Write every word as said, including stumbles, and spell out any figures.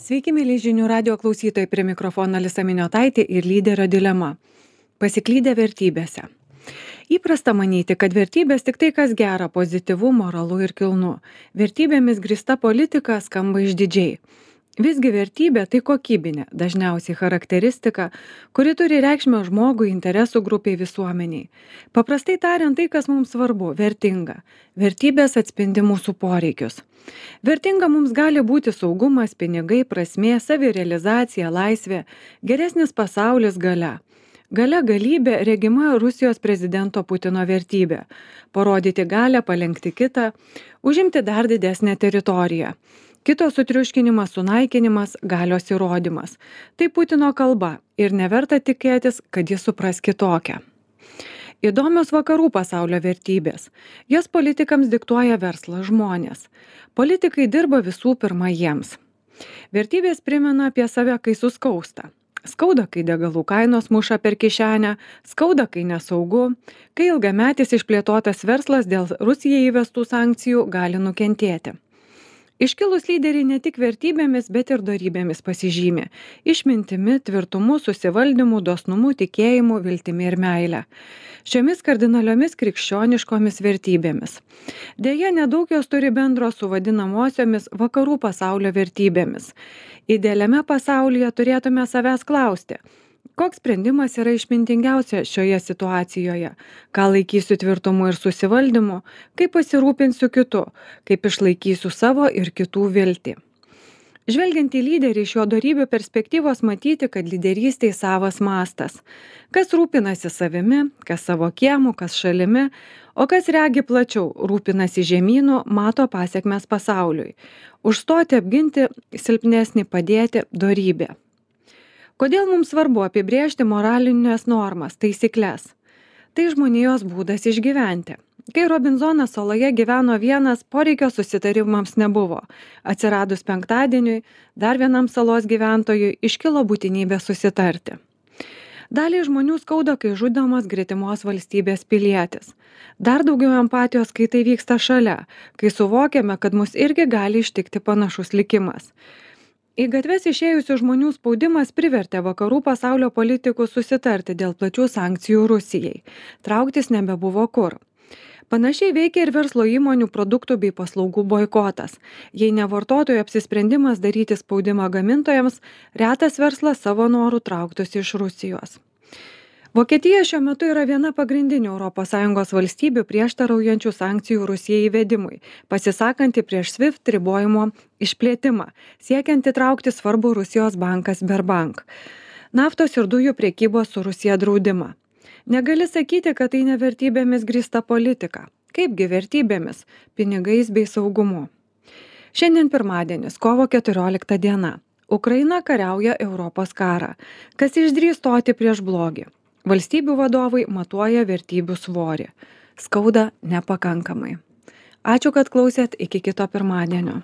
Sveiki, mėly žinių radio klausytojai, prie mikrofono Alisa Miniotaitė ir lyderio dilema. Pasiklydę vertybėse. Įprasta manyti, kad vertybės tik tai, kas gera, pozityvu, moralu ir kilnu. Vertybėmis grįsta politika skamba išdidžiai. Visgi vertybė tai kokybinė, dažniausiai charakteristika, kuri turi reikšmę žmogui, interesų grupiai, visuomeniai. Paprastai tariant, tai, kas mums svarbu, vertinga. Vertybės atspindi mūsų poreikius. Vertinga mums gali būti saugumas, pinigai, prasmė, savirealizacija, laisvė, geresnis pasaulis, galia. Galia galybė regima Rusijos prezidento Putino vertybė - parodyti galią, palenkti kitą, užimti dar didesnę teritoriją. Kito sutriuškinimas, sunaikinimas, galios įrodymas. Tai Putino kalba ir neverta tikėtis, kad jis supras kitokią. Įdomios vakarų pasaulio vertybės. Jas politikams diktuoja verslas, žmonės. Politikai dirba visų pirma jiems. Vertybės primena apie save, kai suskausta. Skauda, kai degalų kainos muša per kišenę, skauda, kai nesaugu, kai ilgametis išplėtotas verslas dėl Rusijai įvestų sankcijų gali nukentėti. Iškilūs lyderiai ne tik vertybėmis, bet ir dorybėmis pasižymė. Išmintimi, tvirtumu, susivaldymu, dosnumu, tikėjimu, viltimi ir meile. Šiomis kardinaliomis krikščioniškomis vertybėmis. Deja, nedaug jos turi bendro su vadinamosiomis vakarų pasaulio vertybėmis. Idealiame pasaulyje turėtume savęs klausti, koks sprendimas yra išmintingiausia šioje situacijoje, ką laikysiu tvirtumu ir susivaldymu, kaip pasirūpinsiu kitu, kaip išlaikysiu savo ir kitų viltį. Žvelgiant į lyderį iš jo dorybių perspektyvos matyti, kad lyderystėj savas mastas. Kas rūpinasi savimi, kas savo kiemu, kas šalimi, o kas regi plačiau, rūpinasi žemynu, mato pasiekmes pasauliui. Užstoti, apginti, silpnesnį padėti - dorybė. Kodėl mums svarbu apibrėžti moralinės normas, taisyklės? Tai žmonijos būdas išgyventi. Kai Robinzonas saloje gyveno vienas, poreikio susitarimams nebuvo. Atsiradus penktadieniui, dar vienam salos gyventojui iškilo būtinybė susitarti. Daliai žmonių skauda, kai žudomas gretimos valstybės pilietis. Dar daugiau empatijos, kai tai vyksta šalia, kai suvokiame, kad mus irgi gali ištikti panašus likimas. Į gatves išėjusių žmonių spaudimas privertė vakarų pasaulio politikus susitarti dėl plačių sankcijų Rusijai. Trauktis nebebuvo kur. Panašiai veikia ir verslo įmonių produktų bei paslaugų boikotas. Jei ne vartotojų apsisprendimas daryti spaudimą gamintojams, retas verslas savo norų trauktųsi iš Rusijos. Vokietija šiuo metu yra viena pagrindinių Europos Sąjungos valstybių prieštaraujančių sankcijų Rusijai įvedimui, pasisakanti prieš SWIFT ribojimo išplėtimą, siekiant įtraukti svarbų Rusijos banką Sberbank, naftos ir dujų priekybos su Rusija draudimą. Negali sakyti, kad tai ne vertybėmis grįsta politika. Kaipgi vertybėmis, pinigais bei saugumu. Šiandien pirmadienis, kovo keturiolikta diena. Ukraina kariauja Europos karą. Kas išdrįs stoti prieš blogį? Valstybių vadovai matuoja vertybių svorį. Skauda nepakankamai. Ačiū, kad klausėt, iki kito pirmadienio.